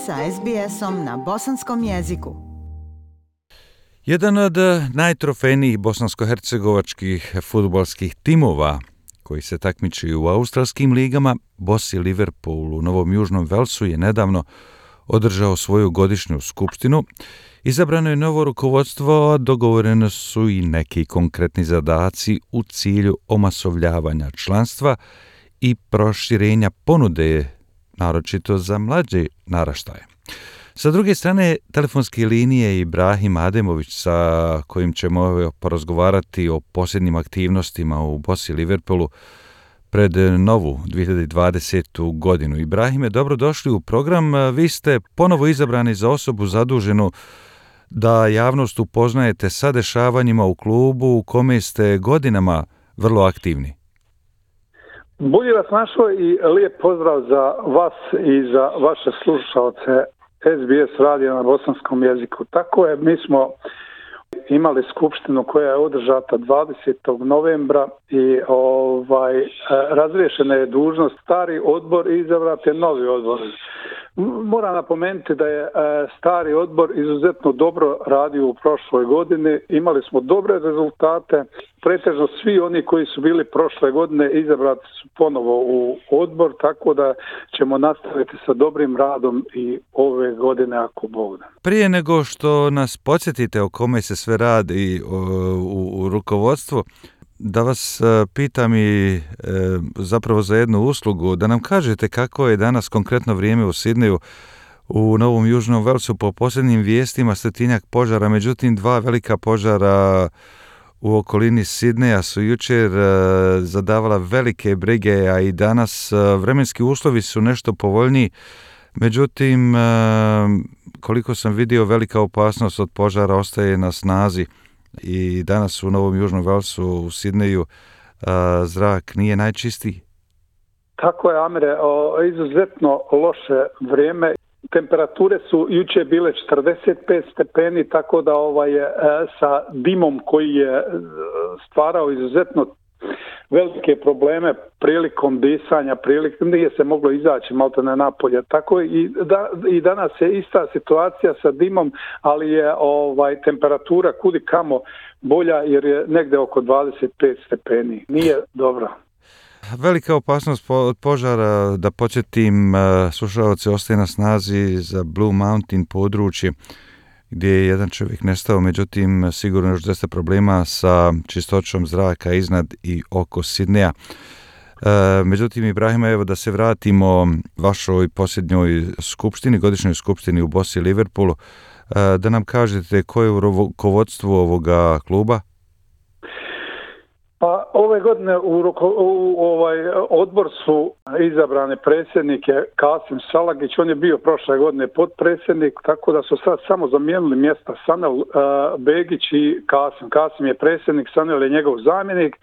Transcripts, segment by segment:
sa SBS-om na bosanskom jeziku. Jedan od najtrofejnijih bosansko-hercegovačkih fudbalskih timova koji se takmiči u australskim ligama, Bosi Liverpool u Novom Južnom Velsu je nedavno održao svoju godišnju skupštinu. Izabrano je novo rukovodstvo, a dogovoreno su i neki konkretni zadaci u cilju omasovljavanja članstva i proširenja ponude, naročito za mlađe naraštaje. Sa druge strane, telefonske linije Ibrahim Ademović, sa kojim ćemo porazgovarati o posljednjim aktivnostima u Bosi Liverpoolu pred novu 2020. godinu. Ibrahime, dobrodošli u program. Vi ste ponovo izabrani za osobu zaduženu da javnost upoznajete sa dešavanjima u klubu u kome ste godinama vrlo aktivni. Bolje vas našao i lijep pozdrav za vas i za vaše slušalce SBS radija na bosanskom jeziku. Tako je, mi smo imali skupštinu koja je održata 20. novembra i razriješena je dužnost stari odbor i izabrat je novi odbor. Moram napomenuti da je stari odbor izuzetno dobro radio u prošloj godini. Imali smo dobre rezultate. Pretežno svi oni koji su bili prošle godine izabrati su ponovo u odbor, tako da ćemo nastaviti sa dobrim radom i ove godine ako Bog da. Prije nego što nas podsjetite o kome se sve radi u rukovodstvu, da vas pitam i zapravo za jednu uslugu, da nam kažete kako je danas konkretno vrijeme u Sidneju. U Novom Južnom Velsu po posljednjim vijestima 100-tinjak požara, međutim 2 velika požara u okolini Sidneja su jučer zadavala velike brige, a i danas vremenski uslovi su nešto povoljniji. Međutim, koliko sam vidio, velika opasnost od požara ostaje na snazi. I danas u Novom Južnom Velsu u Sidneju zrak nije najčistiji. Tako je, Amire, izuzetno loše vrijeme. Temperature su jučer bile 45 stepeni, tako da sa dimom koji je stvarao izuzetno velike probleme prilikom disanja, nije se moglo izaći maltene napolje. Tako i danas je ista situacija sa dimom, ali je temperatura kudi kamo bolja jer je negdje oko 25 stepeni. Nije dobro. Velika opasnost od požara, da podsjetim, slušalce, ostaje na snazi za Blue Mountain područje gdje je jedan čovjek nestao, međutim sigurno još dosta problema sa čistoćom zraka iznad i oko Sidneja. Međutim, Ibrahima, evo da se vratimo vašoj posljednjoj skupštini, godišnjoj skupštini u Bosi Liverpoolu, da nam kažete koje je u rukovodstvu ovoga kluba? Pa ove godine u odbor su izabrane predsjednike Kasim Salagić, on je bio prošle godine potpredsjednik, tako da su sad samo zamijenili mjesta Sanel Begić i Kasim. Kasim je predsjednik, Sanel je njegov zamjenik,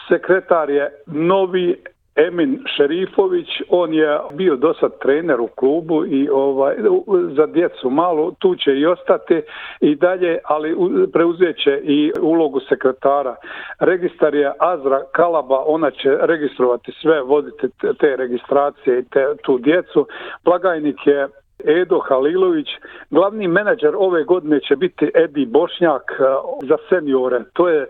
sekretar je novi Emin Šerifović, on je bio dosad trener u klubu i za djecu malo, tu će i ostati i dalje, ali preuzet će i ulogu sekretara. Registar je Azra Kalaba, ona će registrovati sve, voditi te registracije i tu djecu. Blagajnik je Edo Halilović, glavni menadžer ove godine će biti Edi Bošnjak za seniore. To je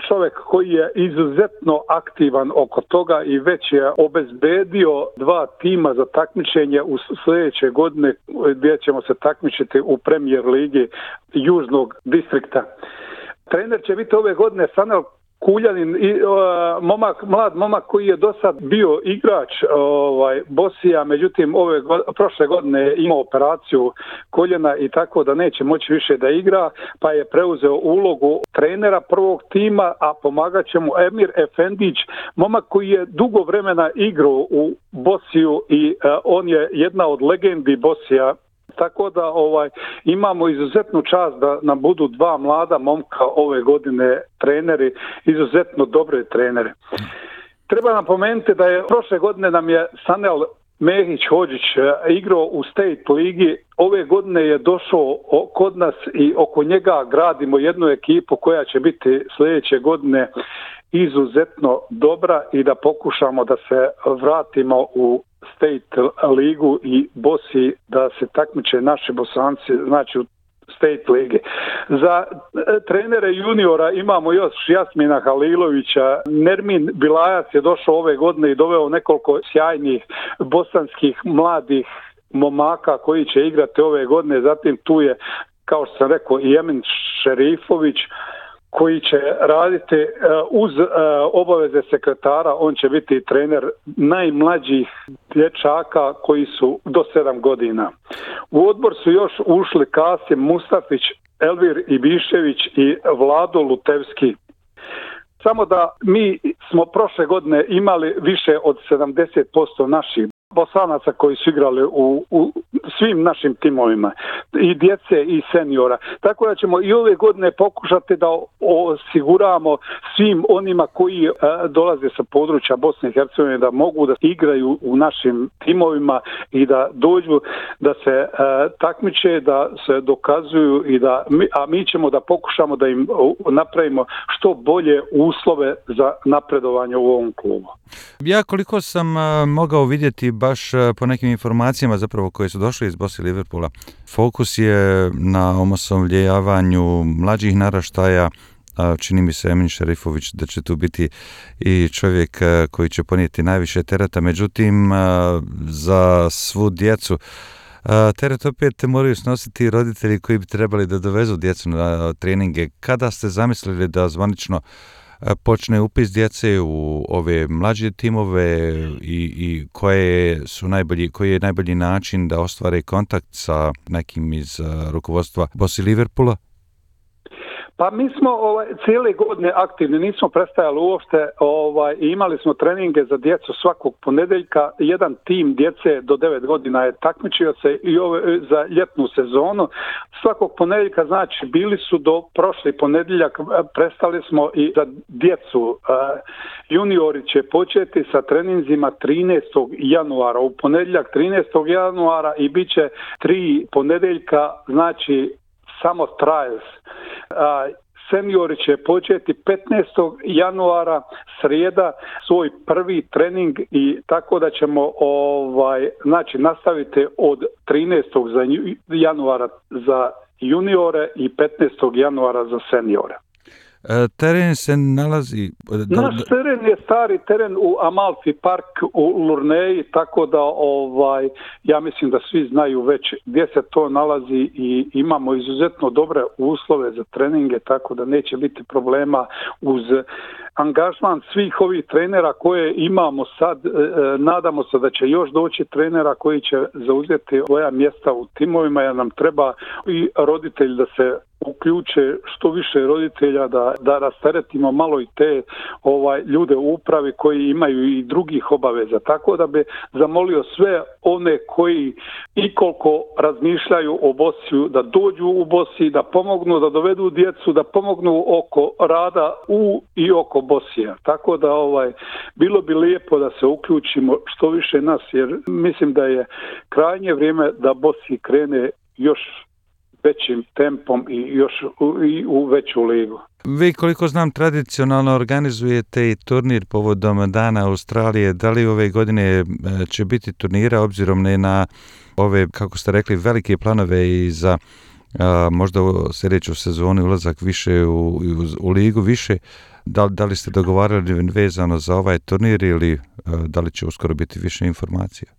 čovjek koji je izuzetno aktivan oko toga i već je obezbedio 2 tima za takmičenje u sljedeće godine gdje ćemo se takmičiti u Premier ligi Južnog distrikta. Trener će biti ove godine Sanel Kuljanin, mlad momak koji je do sad bio igrač Bosija, međutim prošle godine je imao operaciju koljena i tako da neće moći više da igra, pa je preuzeo ulogu trenera prvog tima, a pomagat će mu Emir Efendić, momak koji je dugo vremena igrao u Bosiju i on je jedna od legendi Bosija. Tako da imamo izuzetnu čast da nam budu 2 mlada momka ove godine treneri, izuzetno dobre trenere. Treba napomenuti da je prošle godine nam je Sanel Mehić Hodžić igrao u State ligi, ove godine je došao kod nas i oko njega gradimo jednu ekipu koja će biti sljedeće godine izuzetno dobra i da pokušamo da se vratimo u State ligu i Bosni da se takmiče naši Bosanci, znači u State lige. Za trenere juniora imamo još Jasmina Halilovića. Nermin Bilajac je došao ove godine i doveo nekoliko sjajnih bosanskih mladih momaka koji će igrati ove godine. Zatim tu je, kao što sam rekao, i Emin Šerifović koji će raditi uz obaveze sekretara. On će biti trener najmlađih dječaka koji su do 7 godina. U odbor su još ušli Kasim Mustafić, Elvir Ibišević i Vlado Lutevski. Samo da mi smo prošle godine imali više od 70% naših Bosanaca koji su igrali u svim našim timovima, i djece i seniora. Tako da ćemo i ove godine pokušati da osiguramo svim onima koji dolaze sa područja Bosne i Hercegovine da mogu da igraju u našim timovima i da dođu, da se takmiče, da se dokazuju a mi ćemo da pokušamo da im napravimo što bolje uslove za napredovanje u ovom klubu. Ja koliko sam mogao vidjeti baš po nekim informacijama zapravo koje su došle iz Bosne i Liverpoola, fokus je na omasovljavanju mlađih naraštaja. Čini mi se Emin Šerifović da će tu biti i čovjek koji će ponijeti najviše tereta, međutim za svu djecu teret opet moraju snositi roditelji koji bi trebali da dovezu djecu na treninge. Kada ste zamislili da zvanično počne upis djece u ove mlađe timove i koji je najbolji način da ostvare kontakt sa nekim iz rukovodstva Bosne i Liverpoola? Pa mi smo cijele godine aktivni, nismo prestajali uopšte, imali smo treninge za djecu svakog ponedjeljka. Jedan tim djece do 9 godina je takmičio se i za ljetnu sezonu. Svakog ponedjeljka, znači bili su do prošli ponedjeljak, prestali smo i za djecu. Juniori će početi sa treninzima 13. januara, u ponedjeljak 13. januara i bit će 3 ponedjeljka, znači samo trials. Seniori će početi 15. januara, srijeda, svoj prvi trening i tako da ćemo znači nastaviti od 13. januara za juniore i 15. januara za seniore. Teren se nalazi... Naš teren je stari teren u Amalfi Park u Lurneji, tako da ja mislim da svi znaju već gdje se to nalazi i imamo izuzetno dobre uslove za treninge, tako da neće biti problema uz angažman svih ovih trenera koje imamo sad. Nadamo se da će još doći trenera koji će zauzeti svoja mjesta u timovima, jer nam treba i roditelj da se uključe, što više roditelja, da rasteretimo malo i te ljude u upravi koji imaju i drugih obaveza. Tako da bi zamolio sve one koji i koliko razmišljaju o Bosni da dođu u Bosni, da pomognu, da dovedu djecu, da pomognu oko rada u i oko Bosnija. Tako da bilo bi lijepo da se uključimo što više nas, jer mislim da je krajnje vrijeme da Bosni krene još većim tempom i još u veću ligu. Vi, koliko znam, tradicionalno organizujete i turnir povodom Dana Australije. Da li ove godine će biti turnira obzirom na ove, kako ste rekli, velike planove i za možda u sljedeću sezonu ulazak više u ligu više? Da li ste dogovarali vezano za ovaj turnir ili da li će uskoro biti više informacija?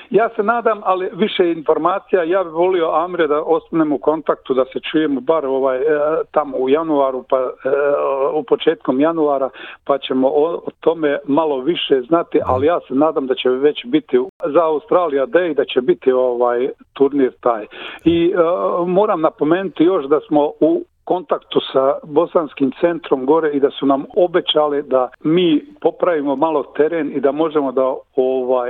Ja se nadam, ali više informacija. Ja bih volio, Amre, da ostanemo u kontaktu, da se čujemo bar tamo u januaru, pa u početkom januara, pa ćemo o tome malo više znati, ali ja se nadam da će već biti za Australia Day, da će biti turnir taj. I moram napomenuti još da smo u kontaktu sa bosanskim centrom gore i da su nam obećali da mi popravimo malo teren i da možemo da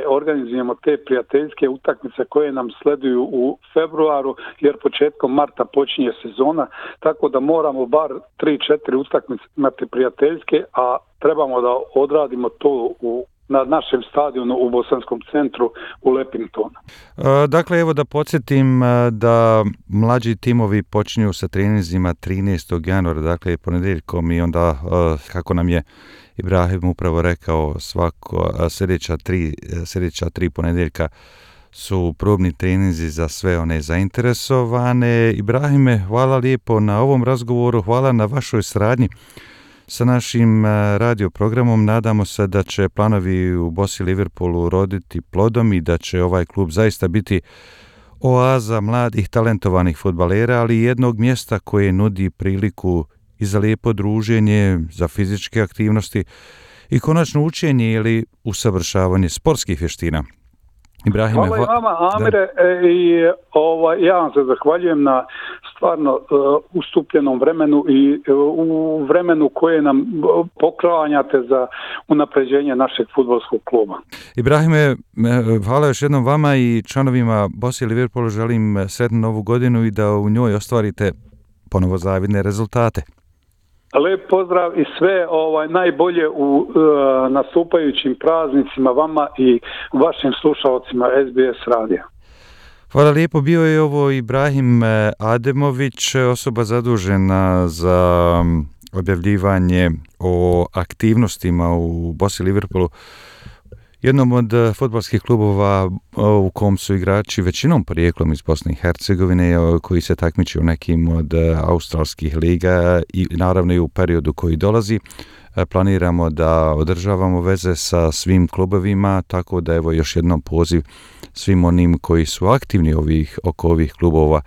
organizujemo te prijateljske utakmice koje nam sleduju u februaru, jer početkom marta počinje sezona, tako da moramo bar 3-4 utakmice imati prijateljske, a trebamo da odradimo to u na našem stadionu u Bosanskom centru u Lepingtonu. Dakle, evo da podsjetim da mlađi timovi počinju sa treninzima 13. januara, dakle ponedjeljkom, i onda, kako nam je Ibrahim upravo rekao, sljedeća tri ponedjeljka su probni treninzi za sve one zainteresovane. Ibrahime, hvala lijepo na ovom razgovoru, hvala na vašoj saradnji sa našim radio programom. Nadamo se da će planovi u Bosi Liverpoolu roditi plodom i da će ovaj klub zaista biti oaza mladih talentovanih fudbalera, ali i jednog mjesta koje nudi priliku i za lijepo druženje, za fizičke aktivnosti i konačno učenje ili usavršavanje sportskih vještina. Ibrahime, hvala i vama, Amire, i ja vam se zahvaljujem na stvarno ustupljenom vremenu i u vremenu koje nam poklanjate za unapređenje našeg fudbalskog kluba. Ibrahime, hvala još jednom vama i članovima Bosi Liverpoolu. Želim sretnu novu godinu i da u njoj ostvarite ponovo zavidne rezultate. Lijep pozdrav i sve najbolje u nastupajućim praznicima vama i vašim slušalcima SBS radija. Hvala lijepo. Bio je ovo Ibrahim Ademović, osoba zadužena za objavljivanje o aktivnostima u Bosi Liverpoolu, jednom od fudbalskih klubova u kom su igrači većinom porijeklom iz Bosne i Hercegovine, koji se takmiče u nekim od australskih liga i naravno i u periodu koji dolazi. Planiramo da održavamo veze sa svim klubovima, tako da evo još jednom poziv svim onim koji su aktivni oko ovih klubova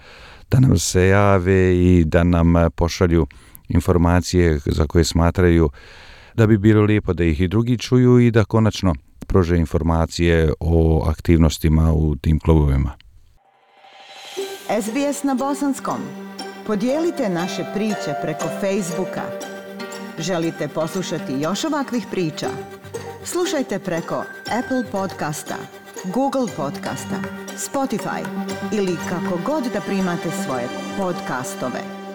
da nam se jave i da nam pošalju informacije za koje smatraju da bi bilo lijepo da ih i drugi čuju i da konačno pruže informacije o aktivnostima u tim klubovima. SBS na bosanskom. Podijelite naše priče preko Facebooka. Želite poslušati još ovakvih priča? Slušajte preko Apple podcasta, Google podcasta, Spotify ili kako god da primate svoje podcastove.